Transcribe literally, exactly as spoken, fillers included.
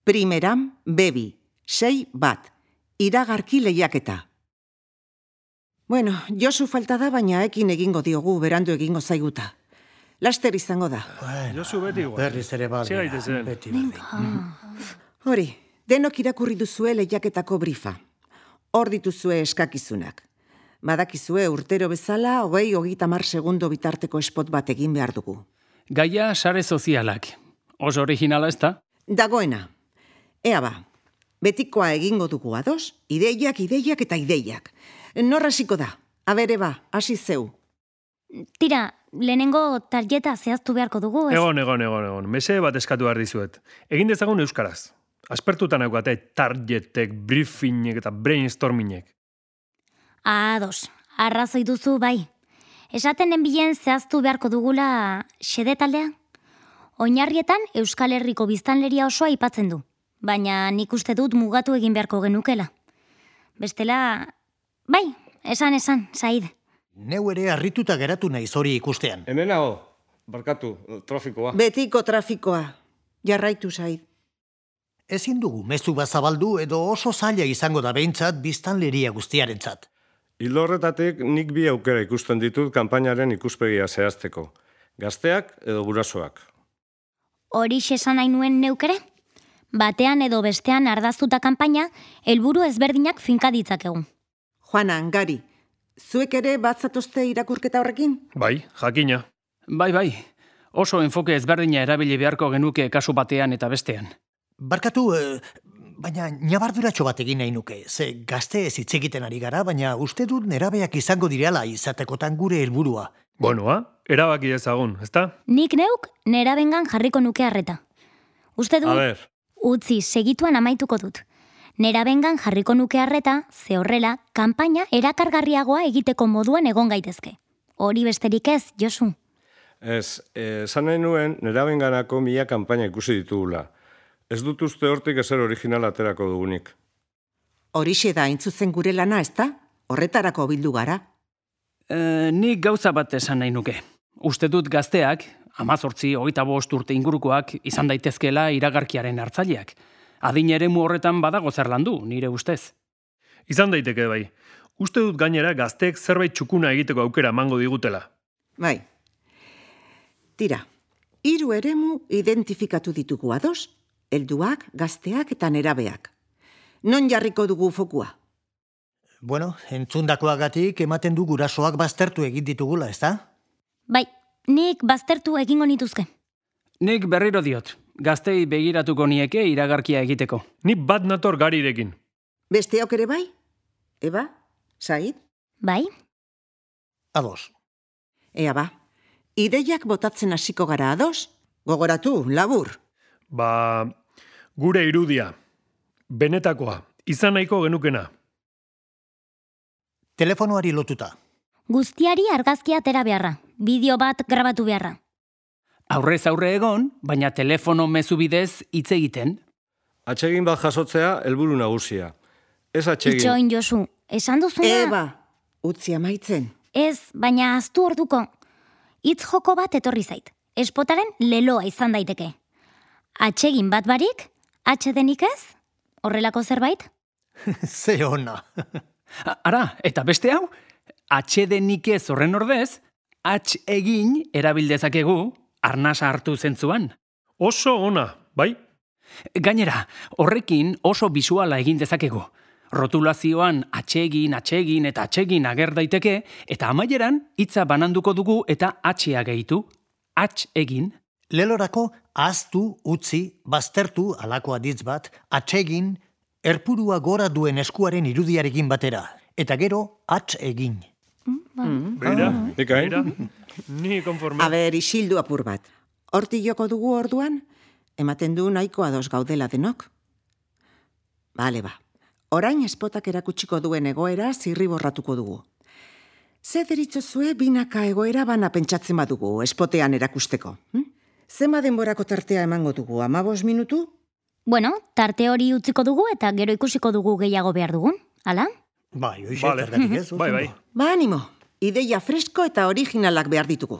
Primeran, bebi, sei bat, iragarki lehiaketa. Bueno, Josu falta da, baina ekin egingo diogu, berandu egingo zaiguta. Laster izango da. Bueno, Josu beti igual. Berriz ere baldea, beti berdin. Hori, denok irakurri duzue lehiaketako brifa. Hor dituzue eskakizunak. Badakizue urtero bezala, hogei hogeita hamar segundo bitarteko spot bat egin behar dugu. Gaia sare sozialak. Oso originala ez da? Dagoena. Ea ba, betikoa egingo dugu ados, ideiak, ideiak eta ideiak. Nor hasiko da? Abere ba, hasi zeu. Tira, lehenengo tarjeta zehaztu beharko dugu, ez? Egon, egon, egon, egon. Mese bat eskatu behar dizuet. Egin dezagun euskaraz. Aspertutan eukate targetek, briefingek eta brainstormingek. Ados, arrazoi duzu bai. Esaten enbilen zehaztu beharko dugula xede taldea? Oinarrietan Euskal Herriko biztanleria osoa aipatzen du, baina nik uste dut mugatu egin beharko genukela. Bestela, bai, esan esan, Said. Neu ere harrituta geratu naiz hori ikustean. Hemen nago, barkatu, trafikoa. Betiko trafikoa. Jarraitu, Said. Ezin dugu mezu bat zabaldu edo oso zaila izango da behintzat biztanleria guztiarentzat. Ildo horretatik nik bi aukera ikusten ditut kanpainaren ikuspegia zehazteko. Gazteak edo gurasoak. Horixe esan nahi nuen neukere? Batean edo bestean ardaztuta kanpaina, helburu ezberdinak finka ditzakegu. Juana, Gari, zuek ere bat zatozte irakurketa horrekin? Bai, jakina. Bai, bai. Oso enfoke ezberdina erabili beharko genuke kasu batean eta bestean. Barkatu, eh, baina nabarduratxo bat egin nahi nuke. Ze gazte ez hitz egiten ari gara, baina uste dut nerabeak izango direla izatekotan gure helburua. Bonoa, erabaki dezagun, ezta? Nik neuk nerabengan jarriko nuke harreta. Uste dut, A ber, utzi, segituan amaituko dut. Nerabengan jarriko nuke harreta, ze horrela, kanpaina erakargarriagoa egiteko moduan egon gaitezke. Hori besterik ez, Josu. ez, esan nahi nuen nerabenganako mila kanpaina ikusi ditugula. Ez dut uste hortik ezer original aterako dugunik. Horixe da intzuzen gure lana, ezta? Horretarako bildu gara. E, nik gauza bat esan nahi nuke. Uste dut gazteak, amazortzi, hogeita bost urte ingurukoak, izan daitezkela iragarkiaren hartzaileak. Adin eremu horretan badago zer landu, nire ustez. Izan daiteke bai. Uste dut gainera gazteek zerbait txukuna egiteko aukera emango digutela. Bai. Tira, hiru eremu identifikatu ditugu ados, helduak, gazteak eta nerabeak. Non jarriko dugu fokua? Bueno, entzundakoagatik ematen du gurasoak baztertu egin ditugula, ezta? Bai, nik baztertu egingo nituzke. Nik berriro diot, gaztei begiratuko nieke iragarkia egiteko. Ni bat nator Garirekin. Besteok ere bai? Eba? Said? Bai? Ados. Ea ba, ideiak botatzen hasiko gara ados? Gogoratu, labur. Ba, gure irudia. Benetakoa. Izan nahiko genukena. Telefonoari lotuta. Guztiari argazkia atera beharra, bideo bat grabatu beharra. Aurrez aurre egon, baina telefono mezu bidez hitz egiten. Atsegin bat jasotzea helburu nagusia. Ez atsegin. Itxoin, Josu, esan duzuna... Eba, utzi amaitzen. Ez, baina aztu orduko. Hitz joko bat etorri zait. Espotaren leloa izan daiteke. Atsegin bat barik, atxedenik ez? Horrelako zerbait? Ze ona. Ara, eta beste hau, atxedenik ez horren ordez, atx egin erabildezakegu arnasa hartu zentzuan. Oso ona, bai? Gainera, horrekin oso bisuala egin dezakegu. Rotulazioan atsegin, atsegin eta atsegin ager daiteke, eta amaieran hitza bananduko dugu eta atxea gehitu. Atx egin. Lelorako ahaztu, utzi, baztertu alako aditz bat, atsegin, erpurua gora duen eskuaren irudiarekin batera. Eta gero, atx egin. Beira, Nik hain? beira. Ni konforme. Aber, isildu apur bat. Horti joko dugu orduan, ematen du nahiko ados gaudela denok. Bale ba, orain espotak erakutsiko duen egoera zirriborratuko dugu. Ze deritzozue binaka egoera bana pentsatzen badugu espotean erakusteko. Hm? Zema denborako tartea emango dugu, amabos minutu? Bueno, tarte hori utziko dugu eta gero ikusiko dugu gehiago behar dugun, ala? Bai, hoxe, Vale. zergatik ez? Bai, bai. Ba, animo, ideia fresko eta originalak behar ditugu.